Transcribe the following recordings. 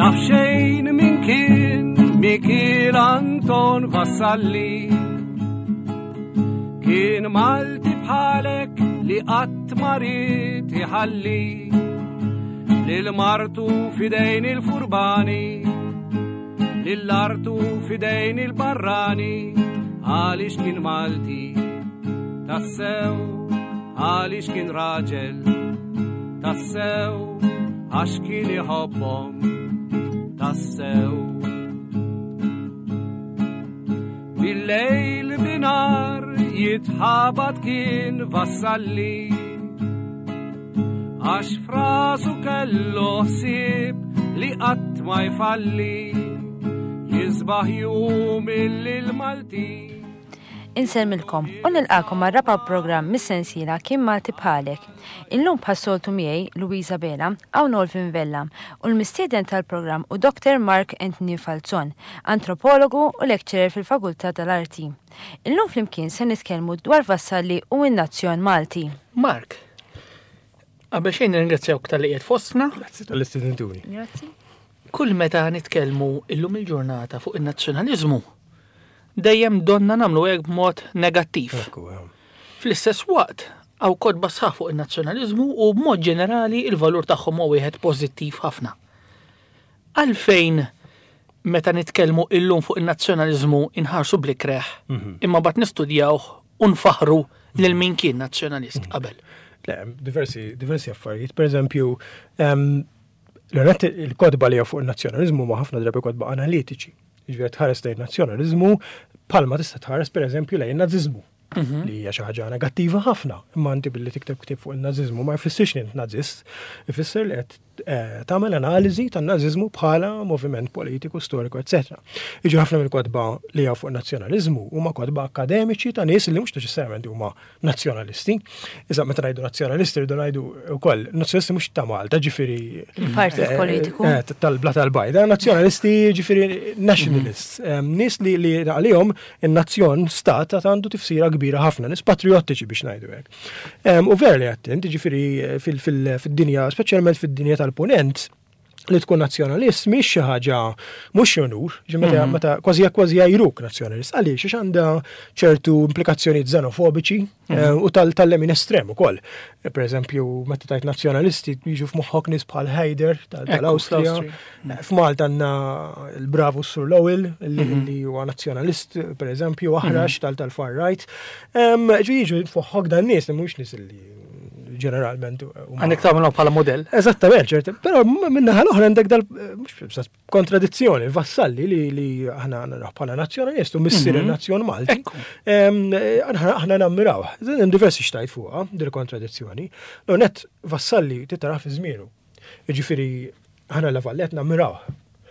Naf xejn min kien Mikiel Anton Vassalli. Kien Malti bħalek li qatt ma ried iħalli lil martu fidejn il-furbani, lil artu fidejn il-barrani, għaliex kien Malti tassew, għaliex kien raġel tassew, għax kien iħobbhom tassew. Bil-lejl binar jitħabat kien Vassalli Għax frasu kellu ħsieb li qatt ma jfalli Jisbaħ jum illi l-Malti Insellmilkom u nilqakom għal raba' programm mis-sensiela Kien Malti Bħalek. Illum bħas-soltu miegħi Louisa Bela, hawn Olvin Vella u l-mistieden tal-programm hu Dr. Mark Anthony Falzon, antropologu u lecturer fil-Fakultà tal-Arti. Illum flimkien se nitkellmu dwar Vassalli u n-nazzjon Malti. Mark, qabel xejn nirringrazzjawk talli qiegħed fostna. Grazzi tal-li stedintuni. Grazzi. Kull meta nitkellmu illum il-ġurnata fuq in-nazzjonaliżmu, dejjem donna nagħmlu hekk b'mod negattiv. Fl-istess waqt, hawn kotba sħaħ fuq in-nazzjonaliżmu u b'mod ġenerali il-valur tagħhom huwa wieħed pożittiv ħafna. Għalfejn meta nitkellmu illum fuq in-nazzjonaliżmu inħarsu bl-ikreh, mhm. imma bat nistudjawh u nfaħru lil min kien nazzjonalist mhm. qabel. Le, diversi, diversi affarijiet. Per eżempju, l-għonet il-kodba li fuq il-nazzjonalizmu ma ħafna drabi kodba analitiċi. Ġifieri tħares lejn nazzjonalizmu palma tista' tħares per eżempju lejn naziżmu. Mhm. Li hija xi ħaġa negattiva ħafna. Imma inti billi tikteb ktieb fuq il-naziżmu ma jfissirx li int nażist, ifisser li qed eh, tagħmel analiżi tan-naziżmu bħala moviment politiku, storiku, etc. Iġi ħafna mill-kotba li hawn fuq nazzjonaliżmu huma kotba akademiċi ta' nies li mhux neċessarjament huma nazzjonalisti. Iżda meta ngħidu nazzjonalisti rridu ngħidu wkoll nazzjonalisti mhux ta' Malta, ġifieri Il-partit eh, politiku. Eh, tal-bla tal-bajda, nazzjonalisti ġifieri nationalists, mhm. nies li li għalihom in-nazzjon stat għandu tifsira kbira ħafna, nies patriottiċi biex ngħidu hekk. U vera li għattint, ġifieri eh, fil-dinja, speċjalment fid-dinja tal-punent, li tkun nazzjonalist mhix xi ħaġa mhux xi onur, meta mhm. meta kważi kważi jgħajruk nazzjonalist. Għaliex għax għandha ċertu implikazzjonijiet xenofobiċi mhm. eh, u tal-lemin estrem ukoll. Eh, per eżempju, meta tajt nazzjonalisti jiġu f'moħħok nies bħal Haider tal-Awstrija. Eh, F'Malta għandna l-bravu Sur Lowell li mhm. huwa nazzjonalist, per eżempju, aħrax tal-far right. Ġu jiġu f'moħħok dan nies li mhux nies li ġeneralment. Għandek tagħmlu bħala modell. Eżattament, ċert. Però minnaħa l-oħra għandek dal mhux kontradizzjoni, Vassalli li li aħna naraw bħala nazzjonalist u missier mhm. il-nazzjon Malti. Aħna nammiraw. Hemm diversi xtajt fuqha dil kontradizzjoni. L-net Vassalli titara fi żmienu. Jiġifieri aħna la Vallet nammiraw.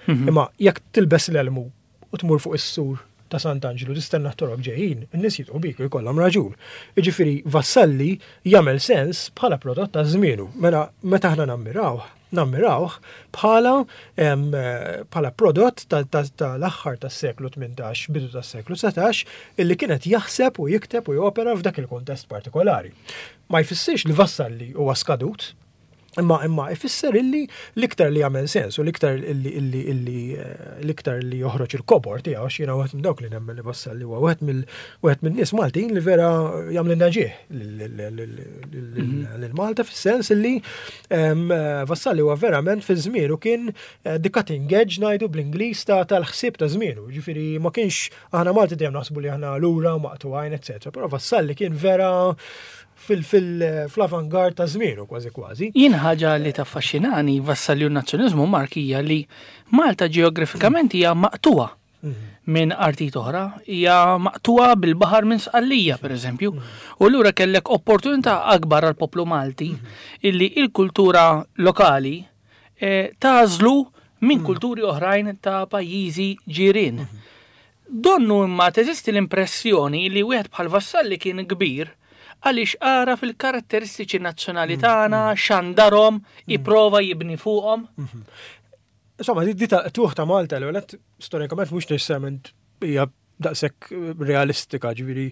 Mhm. Imma jekk tilbes l-elmu u tmur fuq is-sur ta' Sant'Anġlu tistenna t-torok ġejjin, in-nies jidħu bik u jkollhom raġun. Jiġifieri Vassalli jagħmel sens bħala prodott ta' żmienu. Mela meta aħna nammirawh, nammirawh bħala bħala prodott tal-aħħar tas-seklu 18, bidu tas-seklu 19, illi kien qed jaħseb u jikteb u jopera f'dak il-kuntest partikolari. Ma jfissirx li Vassalli huwa skadut, Imma imma ifisser illi l-iktar li jagħmel sens u l-iktar illi illi illi eh, l-iktar li joħroġ il-kobor tiegħu għax jiena wieħed minn dawk li nemmen li Vassalli huwa wieħed mill wieħed min-nies Maltin li vera jagħmlilna ġieħ lil Malta fis-sens illi Vassalli huwa verament fi żmienu kien eh, the cutting edge ngħidu bl-Ingliż ta' tal-ħsieb ta' żmienu. Ġifieri ma kienx aħna Malti dejjem naħsbu li aħna lura maqtugħin, eċetera. Però Vassalli kien vera fil-avangard ta' żmienu kważi kważi. Jien ħaġa li taffaxxinani Vassalli u n-nazzjonaliżmu Mark hija li Malta ġeografikament hija maqtugħa mhm. minn artijiet oħra, hija maqtugħa bil-baħar minn Sqallija pereżempju. Mhm. U allura kellek opportunità akbar għal poplu Malti mhm. illi il-kultura lokali eh, tażlu minn kulturi oħrajn ta' pajjiżi ġirien. Donnu imma teżisti l-impressjoni li wieħed bħal Vassalli kien kbir għaliex għaraf il-karatteristiċi nazzjonali tagħna, xandarhom, ipprova jibni fuqhom. Insomma, di ta' tuħ ta' Malta l għonet storikament mhux neċessarjament hija daqshekk realistika, ġifieri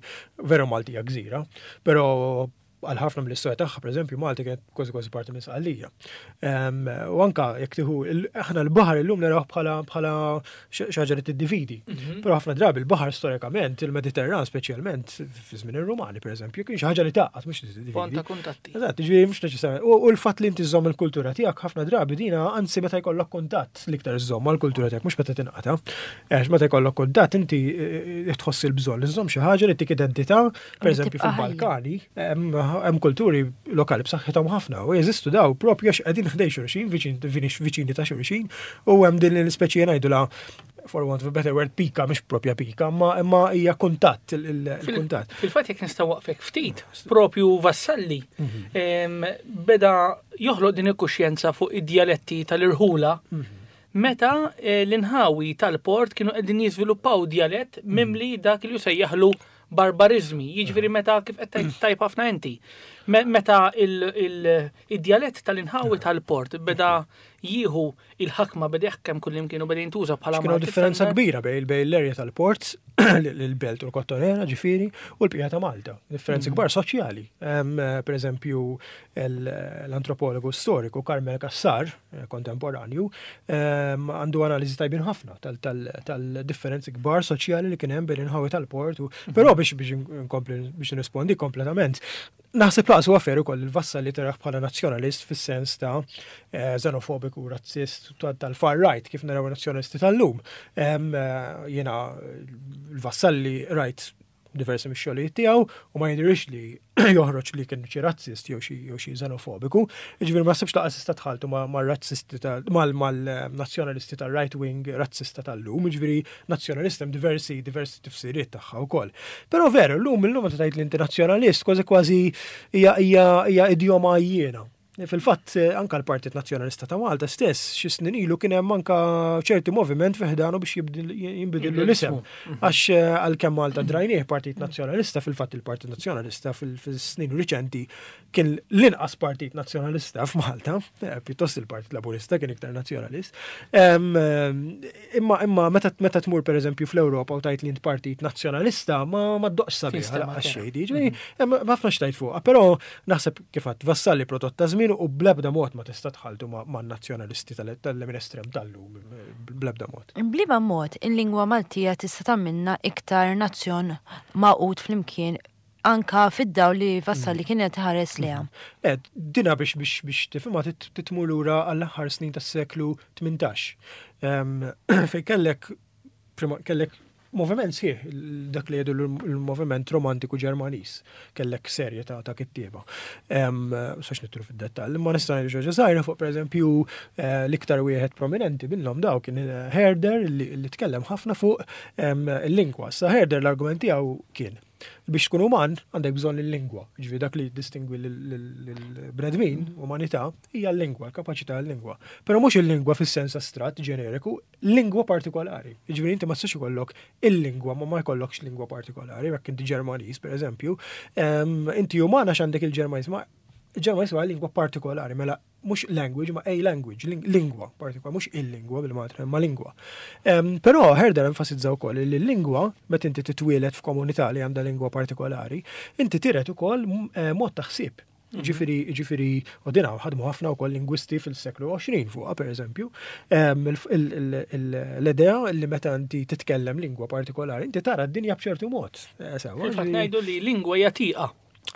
vera Malta hija gżira, però Għal ħafna mill-istorja tagħha, pereżempju, Malta kienet kważi kważi parti minn Sqallija. U anka jekk tieħu aħna l-baħar illum narawh bħala bħala xi ħaġa li tiddividi. Però ħafna drabi l-baħar storikament, il-Mediterran speċjalment fi żmien ir-Rumani pereżempju, kien xi ħaġa li tgħaqqad mhux tiddividi. Pont ta' kuntatti. Eżatt, jiġifieri mhux neċessarjament. U l-fatt li inti żżomm il-kultura tiegħek ħafna drabi dina anzi meta jkollok kuntatt l-iktar żżomm mal-kultura tiegħek mhux meta tinqata'. Għax meta jkollok kuntatt inti tħoss il-bżonn li żżomm xi ħaġa li tik identità. Per eżempju, fil-Balkani, hemm kulturi lokali b'saħħithom ħafna u jeżistu daw propju għax qegħdin ħdej xulxin, viċini ta' xulxin, u hemm din l-ispeċi ngħidulha for want of a better word, pika, mhux propja pika, imma hija kuntatt, il-kuntatt. Fil-fatt jekk nista' waqfek ftit, propju Vassalli beda joħloq din il-kuxjenza fuq id-djaletti tal-irħula meta l-inħawi tal-port kienu qegħdin jiżviluppaw djalett mimli dak li jsejjaħlu barbariżmi, jiġifieri meta kif qed tgħid tajb ħafna inti, meta id-djalett tal-inħawi tal-port beda jieħu il-ħakma, beda jaħkem kullimkien u beda jintuża bħala Kienu differenza kbira bejn l-erja tal-port, l-belt u l-Kottonera ġifieri, u l-bqija ta' Malta. Differenzi kbar soċjali. Per eżempju, l-antropologu storiku Carmel Cassar, kontemporanju, għandu analiżi tajbin ħafna tal-differenzi kbar soċjali li kien hemm bejn inħawi tal-port. Però biex biex nkompli biex nirrispondi kompletament, naħseb laqas huwa fair ukoll il-Vassalli taraħ bħala nazzjonalist fis-sens ta' xenofobiku, razzist tal-far right kif naraw nazzjonalisti tal-lum. Jiena l-Vassalli rajt diversi mix-xogħlijiet tiegħu u ma jidhirx li joħroġ li kien xi razzist jew xi jew xi xenofobiku. Jiġifieri ma naħsibx laqas tista' tħalltu mar-razzisti mal-nazzjonalisti tal-right wing razzista tal-lum, jiġifieri nazzjonalist hemm diversi diversi tifsiriet tagħha wkoll. Però veru, llum illum meta tgħid li inti nazzjonalist kważi kważi hija hija hija idjoma għajjiena. Fil-fatt, anka l-Partit Nazzjonalista ta' Malta stess, xi snin ilu kien hemm anka ċerti moviment fi ħdanu biex jinbidillu l-isem. Għax għalkemm Malta drajnieh Partit Nazzjonalista, fil-fatt il-Partit Nazzjonalista fil-snin riċenti kien l-inqas Partit Nazzjonalista f'Malta, pjuttost il-Partit Laburista kien iktar nazzjonalist. Imma imma meta tmur pereżempju fl-Ewropa u tgħid li int Partit Nazzjonalista ma ddoqx sabiħ għal xejn, jiġifieri hemm ħafna x'tgħid fuqha, però naħseb Kif għedt, Vassalli prodott ta' żmienu u bl-ebda mod ma tista' tħalltu man-nazzjonalisti tal-lemin estrem tal-lum, bl-ebda mod. B'liema mod il-lingwa Maltija tista' tagħmilna iktar nazzjon magħqud flimkien anka fid-dawl li Vassalli kien qed iħares lejha? Le, dina biex biex biex tifhimha trid tmur lura għall-aħħar snin tas-seklu 18. Fejn kellek kellek moviment sħiħ, dak li jgħidu l-moviment romantiku Ġermaniż, kellek serje ta' ta' kittieba. Sax nitru fid-dettall, imma nista' ngħidu xi żgħira fuq pereżempju eh, l-iktar wieħed prominenti minnhom daw kien eh, Herder li tkellem ħafna fuq il-lingwa. Sa Herder l-argument tiegħu kien biex tkun uman għandek bżonn il-lingwa. Ġifieri dak li jiddistingwi lill-bnedmin, umanità, hija l-lingwa, l-kapaċità l-lingwa. Però mhux il-lingwa fis-sens astratt ġeneriku, lingwa partikolari. Jiġifieri inti ma tistax ikollok il-lingwa ma ma jkollokx lingwa partikolari, jekk inti Ġermaniż pereżempju, inti uman għax għandek il-Ġermaniż, ma il-Ġermaniż huwa lingwa partikolari, mela mhux language ma a language, lingwa partikolari, mhux il-lingwa bil-Malti, ma lingwa. Però Herder enfasizza wkoll li l-lingwa meta inti titwieled f'komunità li għandha lingwa partikolari, inti tiret ukoll eh, mod ta' ħsieb. Ġifieri, ġifieri, u din ħadmu ħafna wkoll lingwisti fil-seklu 20 fuqha pereżempju, l-idea li meta inti titkellem lingwa partikolari, inti tara d-dinja b'ċertu mod. Eh, Fil-fatt ngħidu li lingwa hija tieqa.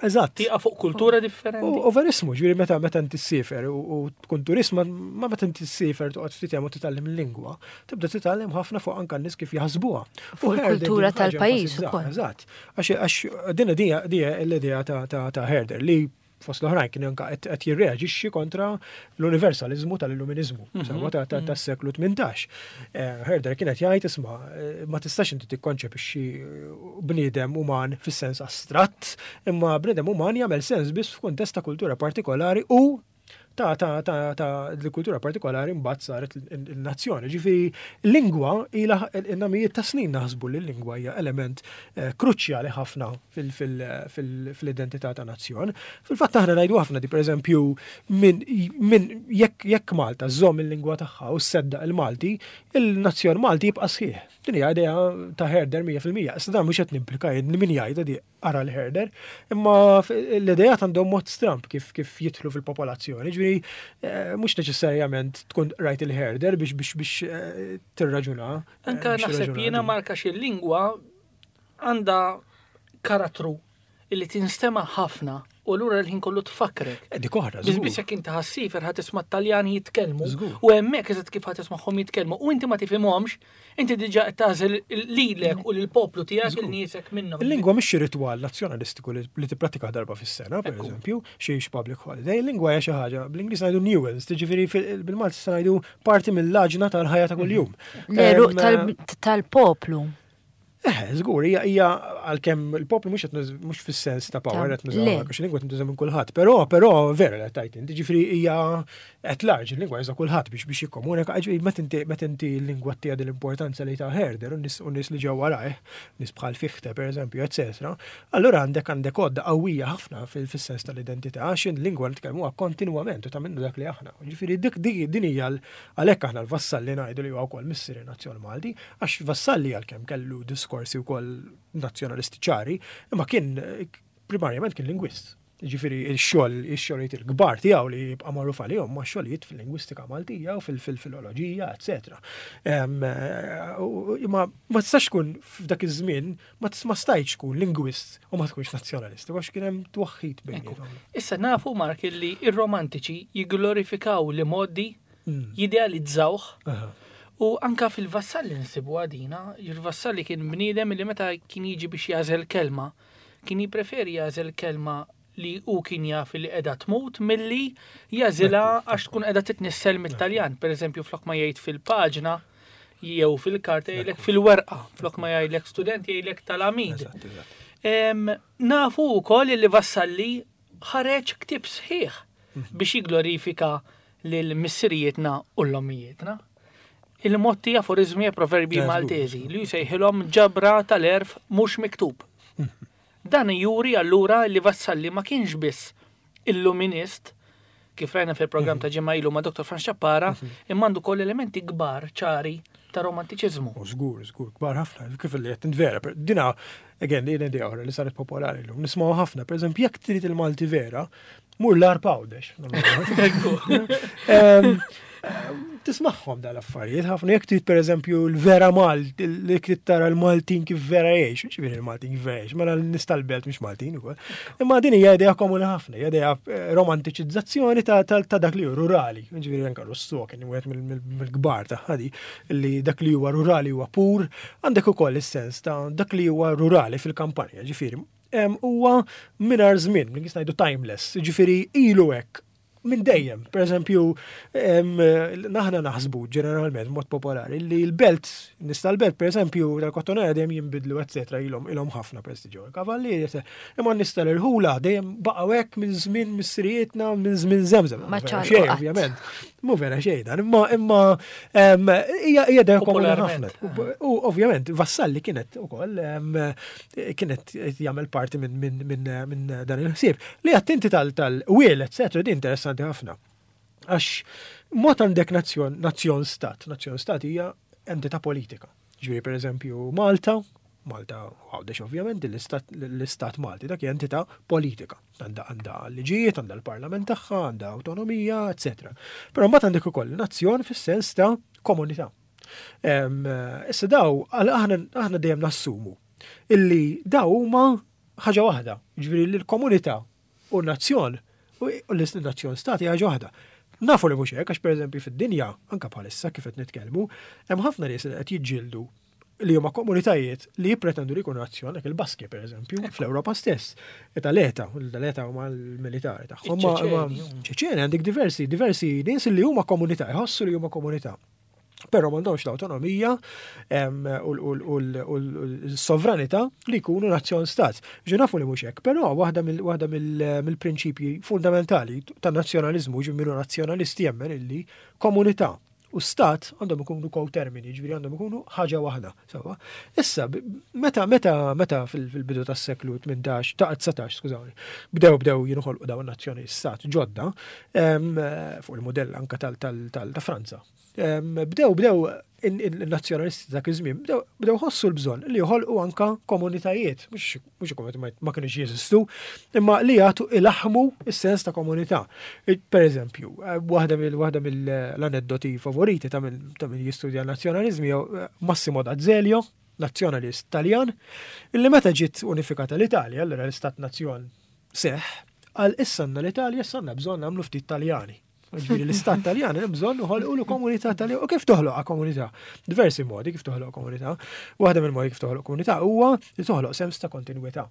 Eżatt. Tieqa fuq kultura differenti. U verismu, ġifieri meta meta inti ssifer u tkun turist, ma meta inti ssifer toqgħod ftit hemm u titgħallem il-lingwa, tibda titgħallem ħafna fuq anke n-nies kif jaħsbuha. Fuq il-kultura tal-pajjiż ukoll. Eżatt. Għax din dija l-idea ta' Herder li fost l-oħrajn kien anka qed jirreaġixxi kontra l-universalizmu tal-illuminizmu, sewwa tas-seklu 18. Herder kien qed jgħid isma' ma tistax inti tikkonċepixxi bniedem uman fis-sens astratt, imma bniedem uman jagħmel sens biss f'kuntest ta' kultura partikolari u. ta' ta' ta' ta' l-kultura partikolari mbagħad saret il-nazzjoni. Ġifieri lingwa ilha mijiet ta' snin naħsbu li l-lingwa hija element eh, kruċjali ħafna fil-identità ta' nazzjon. Fil-fatt aħna ngħidu ħafna di pereżempju minn min jekk jekk Malta żżomm il-lingwa tagħha u sseddaq il-Malti, il-nazzjon Malti jibqa' sħiħ. Din hija idea ta' Herder 100%. Issa dan mhux qed nimplika jien min jgħidha di qara l-Herder, imma l-idejat għandhom mod stramb kif kif jidħlu fil-popolazzjoni. Ġifieri eh, mhux neċessarjament tkun rajt il-Herder biex biex biex eh, tirraġuna. Eh, Anka naħseb jiena marka xi lingwa għandha karattru illi tinstema' ħafna u lura l-ħin kollu tfakkrek. Eh, dik oħra, Biss biss jekk inti ħassifer ħa tisma' t-Taljani jitkellmu u hemmhekk eżatt kif ħa tismagħhom jitkellmu u inti ma tifhimhomx, inti diġà qed tagħżel lilek u lill-poplu tiegħek il niesek minnhom. Il-lingwa mhix xi ritwal nazzjonalistiku li tipprattika darba fis-sena, pereżempju, xi public holiday. Il-lingwa hija xi ħaġa bl-Ingliż ngħidu nuance, tiġifieri bil-Malti se ngħidu parti mill-għaġna tal-ħajja ta' kuljum. L-għeruq tal-poplu. Eh, żgur, hija hija għalkemm il-poplu mhux qed mhux fis-sens ta' power qed nużaw għax il-lingwa tintuża minn kulħadd, però però vera li qed inti, ġifieri hija qed large il-lingwa juża kulħadd biex biex jikkomunika, ġifieri meta inti meta inti l-lingwa tiegħek din l-importanza li ta' Herder u nies u nies li ġew warajh, nies bħal Fichte pereżempju, eċetera, allura għandek għandek għodda qawwija ħafna fis-sens tal-identità għax il-lingwa nitkellmuha kontinwament u tagħmilna dak li aħna. Ġifieri dik din hija għalhekk aħna l-Vassalli ngħidu li huwa wkoll missier in-nazzjon Malti, Għax Vassalli għalkemm kellu diskorsi wkoll nazzjonalisti ċari, imma kien primarjament kien lingwist. Ġifieri x-xogħol, ix-xogħlijiet il-kbar tiegħu li jibqa' magħruf għalihom ma' xogħlijiet fil-lingwistika Maltija u fil-filoloġija, eċetera. Imma ma tistax tkun f'dak iż-żmien ma stajtx tkun lingwist u ma tkunx nazzjonalist, għax kien hemm twaħħid bejniethom. Issa nafu Mark li ir-romantiċi jigglorifikaw li modi mm. jidealizzawh. U anka fil-Vassalli nsibu għadina, il-Vassalli kien bniedem li meta kien jiġi biex jażel kelma, kien jippreferi jażel kelma li hu kien jaf li qiegħda tmut milli jażilha għax tkun qiegħda titnissel mit-Taljan. Per eżempju, flok ma jgħid fil-paġna jew fil-karta jgħidlek fil-werqa, flok ma jgħidlek student jgħidlek tal-amid. Nafu wkoll li Vassalli ħareġ ktieb sħiħ mhm. biex jigglorifika lil missirijietna u l-ommijietna. Il-motti aforizmi e proverbi maltesi li jsejħilhom ġabra tal-erf mhux miktub. Mhm. Dan juri allura li Vassalli ma kienx biss illuminist, kif rajna fil-programm mhm. ta' ġimgħa ilu ma' Dr. Franz Ċappara, imma għandu koll elementi kbar ċari ta' romantiċiżmu. Żgur, żgur, kbar ħafna, kif li qed vera. Dina Again, din idea oħra li saret popolari llum. Nismgħu ħafna, pereżempju, jekk trid il-Malti vera, mur l-Għarb Għawdex. Tismagħhom dal-affarijiet ħafna jekk trid pereżempju l-vera Malt, li trid tara l-Maltin kif vera jgħix, ġifieri l-Maltin kif vera jgħix, mela n-nies tal-belt mhux Maltin ukoll. Imma din hija idea komuni ħafna, hija idea eh, romantiċizzazzjoni ta' dak li hu rurali. Ġifieri anke Rousseau kien wieħed mill-kbar ta' ħadi li dak li huwa rurali huwa pur, Għandek ukoll is-sens ta' dak li huwa rurali fil-kampanja, ġifieri, huwa mingħajr żmien, li ngħidu timeless, ġifieri ilu hekk minn dejjem. Per eżempju, naħna naħsbu ġeneralment mod popolari li l-belt, nista l-belt per eżempju, tal-kottonera dejjem jinbidlu, eccetera, ilhom ilhom ħafna prestiġju. Kavallieri, imma nista l-ħula dejjem baqgħu hekk minn żmien missirietna, minn żmien żemżem. Ma xejn, ovvjament. Mu vera xejn dan, imma imma hija hija dejjem komuni ħafna. U ovvjament Vassalli kienet ukoll kienet jagħmel parti minn dan il-ħsieb. Li attinti tal-wiel, eccetera, di interessanti ħafna. Għax mod għandek nazzjon, nazzjon stat, nazzjon stat hija entità politika. Ġifieri pereżempju Malta, Malta Għawdex ovvjament l-istat Malti dak hija entità politika. Għandha għandha liġijiet, għandha l-parlament tagħha, għandha awtonomija, eċetera. Però mbagħad għandek ukoll nazzjon fis-sens ta' komunità. Issa daw aħna aħna dejjem nassumu illi daw huma ħaġa waħda, ġifieri l-komunità u nazzjon u l-nazzjon stati ħaġa waħda. Nafu li mhux hekk għax pereżempju fid-dinja, anke bħalissa kif qed nitkellmu, hemm ħafna nies li qed jiġġieldu li huma komunitajiet li jippretendu li jkunu nazzjon, hekk il-Baski pereżempju, fl-Ewropa stess. Tal-ETA, l-ETA huma l-militari tagħhom. Ċeċeni għandek diversi, diversi nies li huma komunità, jħossu li huma komunità. Però m'għandhomx l-awtonomija u l-sovranità li jkunu nazzjon stat. Ġi nafu li mhux hekk, però waħda mill-prinċipji fundamentali tan-nazzjonaliżmu ġi minnu nazzjonalisti jemmen illi komunità u stat għandhom ikunu ko-termini, ġifieri għandhom ikunu ħaġa waħda. Sewwa. Issa, meta meta meta fil-bidu tas-seklu 18, ta' 19, skużawni, bdew bdew jinħolqu dawn nazzjoni stat ġodda fuq il-modell anka tal ta' Franza. Bdew bdew il-nazzjonalisti dak iż-żmien bdew bdew ħossu l-bżonn li joħolqu anka komunitajiet, mhux mhux komunità ma kienux jeżistu, imma li jagħtu ilaħmu s-sens ta' komunità. Per eżempju, eh, waħda mill waħda mill-aneddoti favoriti ta' min ta' min jistudja n-nazzjonaliżmi eh, Massimo D'Azeglio, nazzjonalist Taljan, illi meta ġiet unifikata l-Italja, allura l-istat nazzjon seħ, għal issa l-Italja issa għandna bżonn nagħmlu ftit Taljani. Ġifieri l-istat Taljan hemm bżonn uħolqu komunità Taljan. U kif toħloq komunità? Diversi modi kif toħloq komunità. Waħda mill-modi kif toħloq komunità huwa li toħloq sens ta' kontinwità.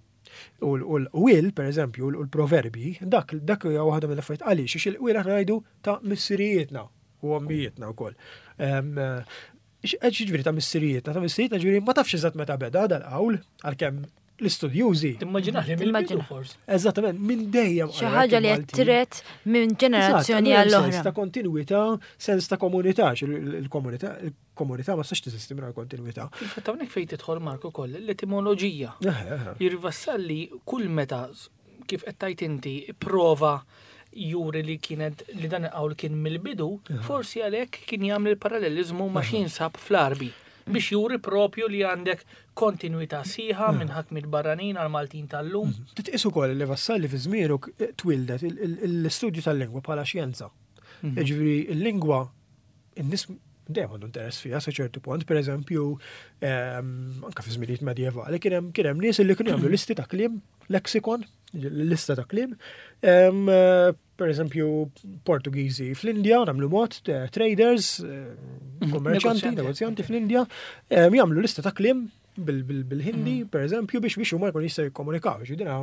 U l-qwiel, per eżempju, u l-proverbi, dak dak hija waħda mill-affarijiet għaliex għax il-qwiel aħna ngħidu ta' missirijietna u ommijietna wkoll. Ġifieri ta' missirijietna, ta' missirijietna ġifieri ma tafx eżatt meta beda dal-qawl, għalkemm l-istudjużi. Timmaġina li mill-bidu forsi. Eżattament, minn dejjem. Xi ħaġa li qed tiret minn ġenerazzjoni għall-oħra. Sens ta' kontinwità, sens ta' komunità, il-komunità, il-komunità ma tistax teżisti mingħajr kontinwità. Fil-fatt hawnhekk fejn tidħol Mark ukoll l-etimoloġija. Jirvassalli kull meta kif qed tgħid inti prova juri li kienet li dan il-qawl kien mill-bidu, forsi għalhekk kien jagħmel il-paralleliżmu ma' xi jinsab fl-Għarbi biex juri propju li għandek kontinwità sħiħa minn ħakmiet barranin għal Maltin tal-lum. Titqis ukoll li Vassalli fi żmienu twildet l-istudju tal-lingwa bħala xjenza. Jiġifieri l-lingwa in-nies dejjem għandu interess fiha sa ċertu punt, per eżempju, anka fi żminijiet medjevali kien hemm kien hemm nies li kienu jagħmlu listi ta' kliem, lexicon, lista ta' kliem. Per eżempju, Portugiżi fl-Indja, nagħmlu mod, traders, kummerċanti, negozjanti fl-Indja, jagħmlu lista ta' kliem bil-Hindi, per eżempju, biex biex huma jkun jistgħu jikkomunikaw. Ġifieri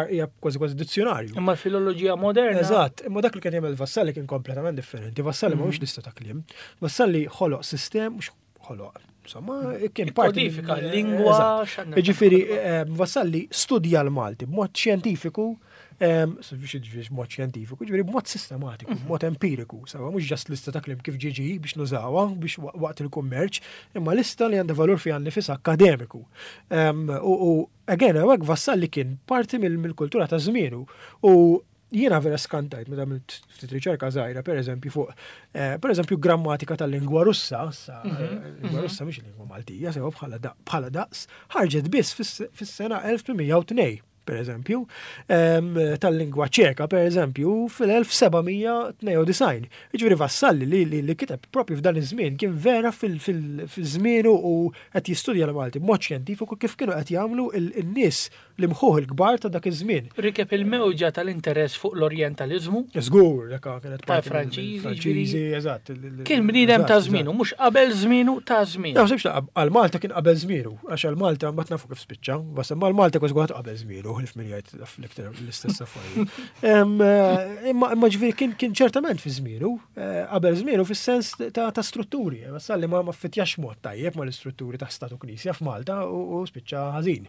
hija kważi kważi dizzjonarju. Imma l-filoloġija moderna. Eżatt, imma dak li kien jagħmel Vassalli kien kompletament differenti. Vassalli ma mhux lista ta' kliem. Vassalli ħoloq sistem, mhux ħoloq, insomma, kien parti. Kodifika l-lingwa. Ġifieri, Vassalli studja l-Malti b'mod xjentifiku, biex b'mod xjentifiku, ġifieri b'mod sistematiku, b'mod empiriku, sawa mhux ġast lista ta' kliem kif ġiġi biex nużawha biex waqt il-kummerċ, imma lista li għandha valur fiha nnifisha akkademiku. U Again, hawnhekk Vassalli kien parti mill-kultura ta' żmienu u jiena vera skantajt meta għamilt ftit riċerka żgħira pereżempju fuq eh, pereżempju grammatika tal-lingwa Russa, sa lingwa Russa mhix lingwa Maltija, sewa bħala daqs, ħarġet biss fis-sena 1802 per eżempju, tal-lingwa ċeka, per eżempju, fil-1792. Jiġifieri Vassalli li, li, li kiteb propju f'dan iż-żmien kien vera fil-żmienu u qed jistudja l-Malti b'mod xjentifiku kif kienu qed jagħmlu n-nies l-imħuħ il-kbar ta' dak iż-żmien. Rikeb il-mewġa tal-interess fuq l-orjentaliżmu. Żgur, dak kienet parti Franċiżi, Franċiżi, eżatt. Kien bniedem ta' żmienu, mhux qabel żmienu ta' żmienu. Naħsibx għal Malta kien qabel żmienu, għax għal Malta mbagħad nafu kif spiċċa, bas imma għal Malta kważi qabel żmienu, ħlif min jgħid l-iktar l-istess affarijiet. Eh, imma imma ġifieri kien kien ċertament fi żmienu, eh, qabel żmienu fis-sens ta' strutturi, Vassalli ma ma fittjax mod tajjeb mal-istrutturi ta' statu knisja f'Malta u spiċċa ħażin.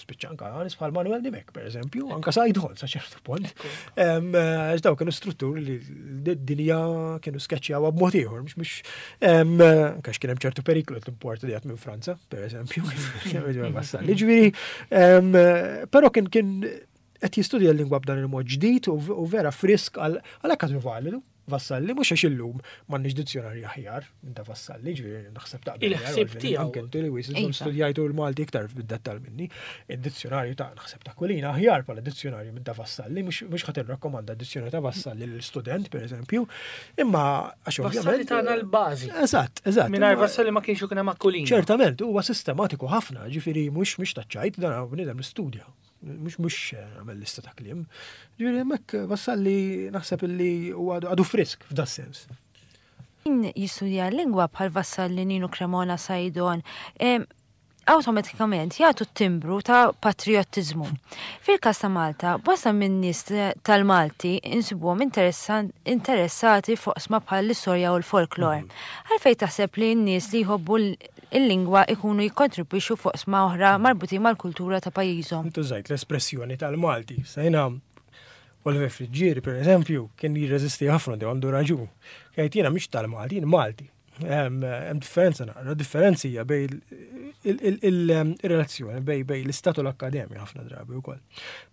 Spiċċa anka nies bħal Manuel Dimek, per eżempju, anka Sajdon sa ċertu punt. Eh, għax daw kienu strutturi li d-dinja kienu skeċċjawha b'mod ieħor, mhux mhux anka kien hemm ċertu periklu t-import li minn Franza, per eżempju, Vassalli. Ġifieri, però kien kien qed jistudja l-lingwa b'dan il-mod ġdid u vera frisk għalhekk għadu validu. Vassalli mhux għax illum m'għandniex dizzjonarju aħjar minn ta' Vassalli, ġifieri naħseb taqbel. Il-ħsieb tiegħu. Anke inti li wis iżom studjajtu l-Malti iktar fid-dettall minni. Id-dizzjonarju ta' naħseb ta' Kulina aħjar bħala dizzjonarju minn ta' Vassalli, mhux ħadd irrakkomanda d-dizzjonarju ta' Vassalli lil student pereżempju, imma għax ovvjament. Vassalli tagħna l-bażi. Eżatt, eżatt. Mingħajr Vassalli ma kienx ikun hemm Aquilina. Ċertament, huwa sistematiku ħafna, ġifieri mhux mhux taċ-ċajt, dan bniedem li studja. Mux mux eh, għamel lista ta' kliem. Ġifieri hemmhekk eh, Vassalli naħseb illi huwa għadu frisk f'da sens. Min jistudja l-lingwa bħal Vassalli Ninu Cremona Saidon, awtomatikament jagħtu t-timbru ta' patriottiżmu. Fil-każ ta' Malta, bosta minn nies tal-Malti insibuhom interessati f'oqsma bħal l-istorja u l-folklor. Għalfejn taħseb li n-nies li jħobbu l-lingwa ikunu jikkontribwixxu f'oqsma oħra marbutin mal-kultura ta' pajjiżhom? Intu żajt l-espressjoni tal-Malti. Sejna Oliver Friggieri, per eżempju, kien jirreżisti ħafna għandu raġun. Kien jiena mhix tal-Malti, jien Malti. Hemm differenza naqra, differenzi hija bej il-relazzjoni bej bej l-istat u l-akkademja ħafna drabi wkoll.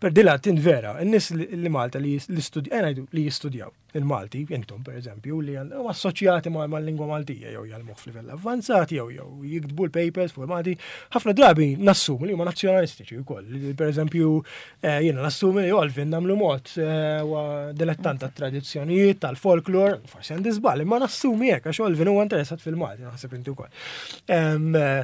Per dila tinvera, n-nies li Malta li eh, li jistudjaw il-Malti, intom per eżempju, li huma assoċjati mal-lingwa Maltija jew jgħallmuh f'livell avvanzat jew jew jiktbu l-papers fuq il-Malti, ħafna drabi nassumu li huma nazzjonalistiċi wkoll. Per eżempju, Eh, jiena nassumi li Olvin namlu mod eh, huwa dilettant tat-tradizzjonijiet, tal-folklor, forsi għandi żball, imma nassumi hekk għax Olvin huwa interessat fil-Malti, naħseb inti wkoll. Eh,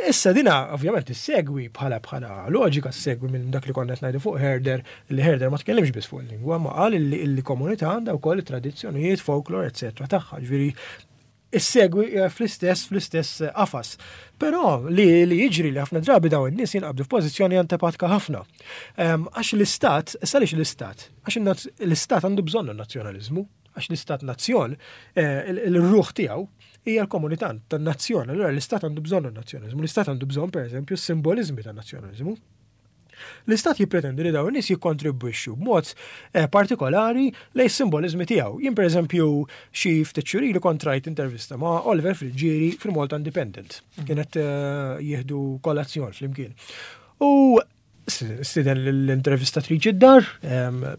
issa dina ovvjament issegwi bħala bħala loġika ssegwi minn dak li konna qed ngħidu fuq Herder, li Herder ma tkellimx biss fuq il-lingwa, ma qal li komunità għandha wkoll it-tradizzjonijiet, folklor, eċetera tagħha. Ġifieri issegwi eh, fl-istess fl-istess eh, qafas. Però li, li jiġri li ħafna drabi dawn in-nies jinqabdu f'pożizzjoni antipatka ħafna. Ehm, għax l-istat, issa għaliex l-istat? Għax l-istat għandu bżonn nazzjonaliżmu, għax l-istat nazzjon, eh, il-ruħ tiegħu hija l-komunità tan-nazzjon. Allura l-istat għandu bżonn nazzjonaliżmu, l-istat għandu bżonn pereżempju s-simbolizmi tan-nazzjonaliżmu. L-Istat jippretendi li dawn in-nies jikkontribwixxu b'mod eh, partikolari lejn simboliżmi tiegħu. Jien pereżempju xi ftit xhur ilu kont rajt intervista ma' Oliver Friggieri fil-Malta Independent. Mhm. Kienet eh, jieħdu kolazzjon flimkien. U stiden l-intervistatriċi d-dar,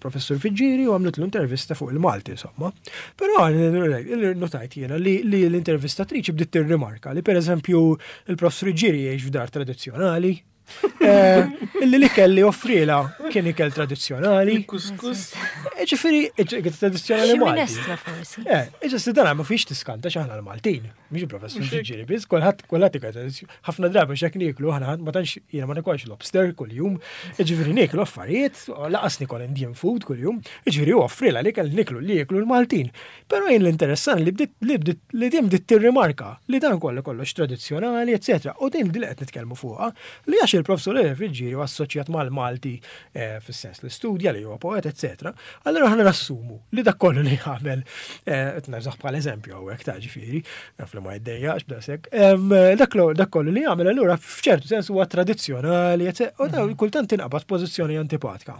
professur Fiġġieri, u għamlet l-intervista fuq il-Malti, insomma. Però notajt jiena li l-intervistatriċi bdiet tirrimarka li per eżempju il-professur Fiġġieri jgħix f'dar tradizzjonali, Eh, illi li kelli offrila kien ikel tradizzjonali. Kuskus. Eh, ġifieri, ikel tradizzjonali Malti. Minestra forsi. Eh, ġifieri dan ma fiex tiskanta x'aħna l-Maltin. Mhix professur ġifieri biss, kulħadd kulħadd ikel tradizzjonali. Ħafna drabi x'hekk nieklu aħna ma tantx jiena ma nikolx lobster kuljum. Ġifieri nieklu affarijiet, laqas nikol Indian food kuljum. Ġifieri offrila li kell niklu li jieklu l-Maltin. Però jien l-interessan li bdiet li bdiet li din bdiet tirrimarka li dan kollu kollox tradizzjonali, eċetera. U din li qed nitkellmu fuqha li għax il-professur Friggieri huwa assoċjat mal-Malti eh, fis-sens li studja li huwa poet, eċetera. Allura aħna nassumu li dak kollu li jagħmel eh, qed nerżaħ bħal eżempju hawnhekk ta' ġifieri, naf li ma jiddejjaqx b'daqshekk. Dak kollu li jagħmel allura f'ċertu sens huwa tradizzjonali, eċetera. U mhm. kultant tinqabad pożizzjoni antipatika.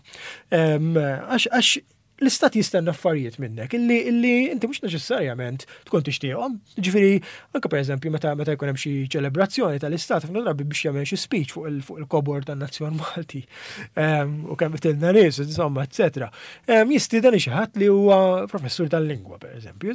Għax l-istat jistenna affarijiet minnek illi illi inti mhux neċessarjament tkun tixtieqhom. Ġifieri, anke pereżempju meta meta jkun hemm xi ċelebrazzjoni tal-istat ħafna drabi biex jagħmel xi speech fuq il fuq il-kobor tan-nazzjon Malti ehm, u kemm tilna nies, insomma, eċetera. Ehm, jistieden xi ħadd li huwa professur tal-lingwa pereżempju,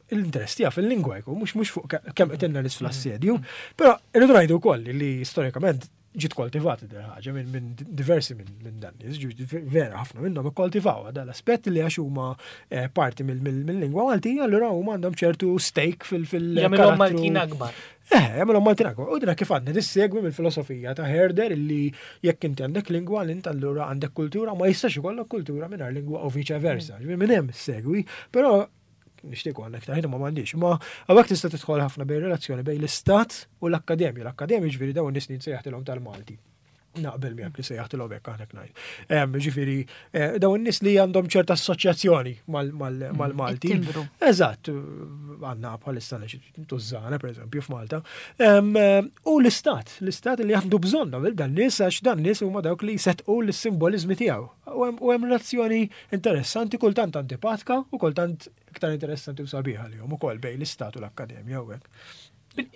l-interess tiegħu fil-lingwa jkun mhux mhux fuq kemm qtilna nies fl-assedju. Però irridu ngħidu wkoll li storikament ġiet koltivata din ħaġa minn diversi minn dan nies, vera ħafna minnhom ikkoltivaw dan l-aspett li għax huma eh, parti mill-lingwa Maltija, allura huma għandhom ċertu stake fil- Jagħmilhom Maltin akbar. Eh, jagħmilhom Maltin akbar. U dina kif għandna tissegwi mill-filosofija ta' Herder illi jekk inti għandek lingwa l int allura għandek kultura ma jistax ikollok kultura mingħajr lingwa u viċa versa. Mm. Minn hemm segwi, però nixtieq għandek ta' ma m'għandix. Ma hawnhekk tista' tidħol ħafna bejn relazzjoni bejn l-istat u l-akkademja. L-akkademja ġifieri dawn nies li nsejjaħtilhom tal-Malti. Naqbel miegħek li sejjaħtilhom hekk aħna ngħid. Ġifieri eh, dawn nies li għandhom ċerta assoċjazzjoni mal-Malti. Eżatt, għandna bħalissa tużżana pereżempju f'Malta. U l-istat, l-istat li għandu bżonn dan nies għax dan nies huma dawk li jsettqu l-simbolizmi tiegħu. U hemm relazzjoni interessanti, kultant antipatka u kultant iktar interessanti u sabiħa li hum ukoll bejn l-istat u l-akkademja u hekk.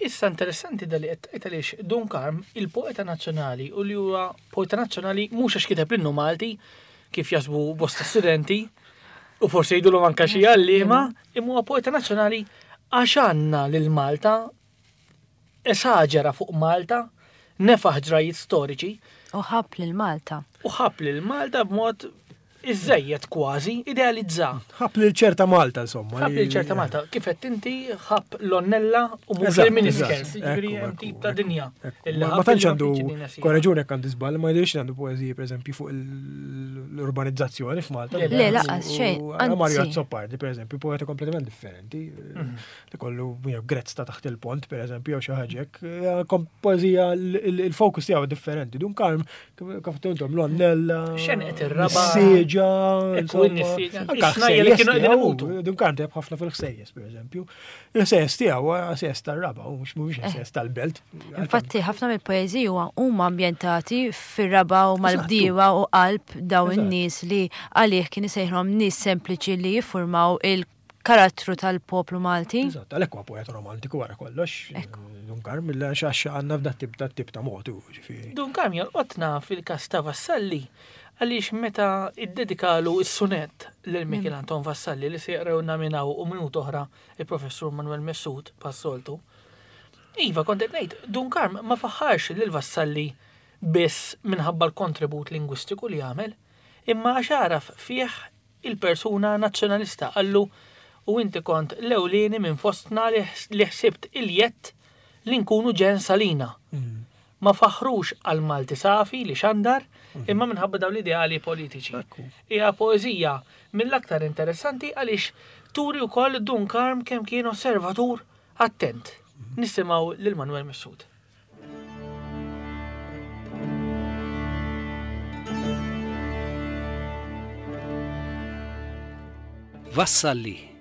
Issa interessanti da li qed tgħid għaliex Dun Karm il-poeta nazzjonali u li huwa poeta nazzjonali mhux għax kiteb l-innu Malti kif jasbu bosta studenti u forsi jgħidulhom anke xi għalliema, imma huwa poeta nazzjonali għax għandna lil Malta esaġera fuq Malta, nefaħ ġrajiet storiċi. U ħabb lil Malta. U ħabb lil Malta b'mod Iżżejjed kważi, idealizza. Ħabb lil ċerta Malta, insomma. Ħabb lil ċerta Malta. Kif qed inti ħabb l-onnella u mhux il-miniskers, jiġifieri hemm tip ta' dinja. Ma tantx għandu korreġuni jekk għandi żball, ma jidhirx għandu poeżiji pereżempju fuq l-urbanizzazzjoni f'Malta. Le, laqas xejn. Mario Azzopardi, pereżempju, poeta kompletament differenti. Mhm. Li kollu grezz ta' taħt il-pont, pereżempju, jew xi ħaġa hekk. Poeżija il-fokus tiegħu differenti. Dun Karm Kif intom l-onnella. Xenqet ir-raba. Sieġa. Ekku n-sieġa. Snajja li kienu qegħdin imutu. Dun kan teb ħafna fil-ħsejjes, pereżempju. Il-ħsejjes tiegħu ħsejjes tar-raba, u mhux mhuwiex ħsejjes eh. tal-belt. Infatti ħafna mill-poeżiji huma ambjentati fir-raba u mal-bdiewa u qalb dawn in-nies li għalih kien isejħhom nies sempliċi li jiffurmaw il karattru tal-poplu Malti. Eżatt, għalhekk huwa poeta romantiku wara kollox. Dun Karm, għax għandna f'dat tip ta' tip ta' mod, ġifieri. Dun Karm jolqotna fil-każ ta' Vassalli għaliex meta iddedikalu s-sunett lil Mikiel Anton Vassalli li se jaqrawna minn hawn u minuta oħra il-Professur Manuel Messud bħas-soltu. Iva, kont qed ngħid, Dun Karm ma faħħarx lil Vassalli biss minħabba l-kontribut lingwistiku li għamel, imma għax għaraf fih Il-persuna Nazzjonalista qallu, U inti kont l-ewlieni minn fostna li ħsibt il-jedd li nkunu ġens għalina. Ma faħħrux għall-Malti safi li xandar, imma minħabba dawn l-ideali politiċi. Hija poeżija mill-aktar interessanti għaliex turi wkoll Dun Karm kemm kien osservatur attent. Nisimgħu lil Manuel Mifsud. Vassalli,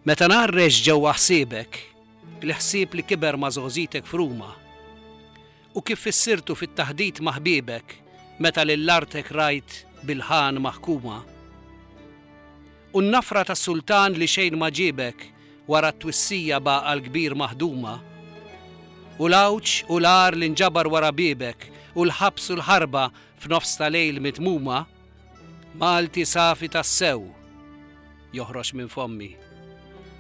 meta ngħarrex ġewwa ħsiebek, il-ħsieb li kiber ma' żgħożitek f'Ruma, u kif fissirtu fit-taħdit ma' ħbiebek meta lil artek rajt bil-ħan maħkuma, U n-nafra tas-sultan li xejn ma ġiebek wara t-twissija b'għaqal kbir maħduma. U l-għawġ u l-għar li nġabar wara biebek u l-ħabs u l-ħarba f'nofs ta' lejl mitmuma, Malti safi tassew joħroġ minn fommi.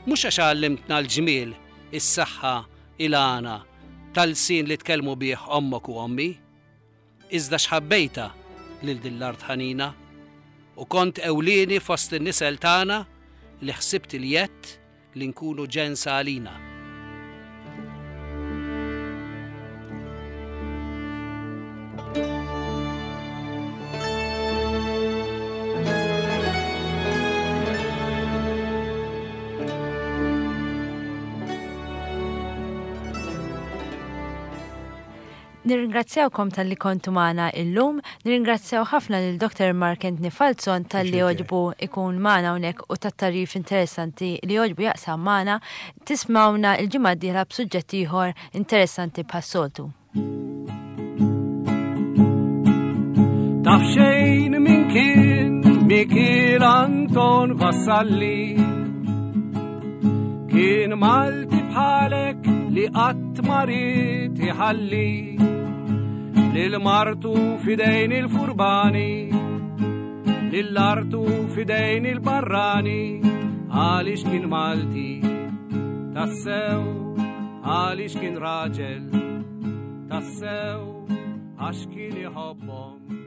Mhux għax għallimtna l-ġmiel, is-saħħa, il-għana, tal-lsien li tkellmu bih ommok u ommi. Iżda x'ħabbejtha lil din l-art ħanina, u kont ewlieni fost in-nisel tagħna li ħsibt il-jedd li nkunu ġens għalina. Nirringrazzjawkom talli kontu magħna illum, nirringrazzjaw ħafna lil Dr. Mark Anthony Falzon talli għoġbu ikun magħna hawnhekk u tat-tagħrif interessanti li għoġbu jaqsam magħna. Tismawna l-ġimgħa d-dieħla b'suġġett ieħor interessanti bħas-soltu. Taf xejn min kien Mikiel Anton Vassalli Kien Malti bħalek li qatt ma ried iħalli lil martu fidejn il-furbani lil artu fidejn il-barrani għaliex kien Malti tassew għaliex kien raġel tassew għax kien iħobbhom.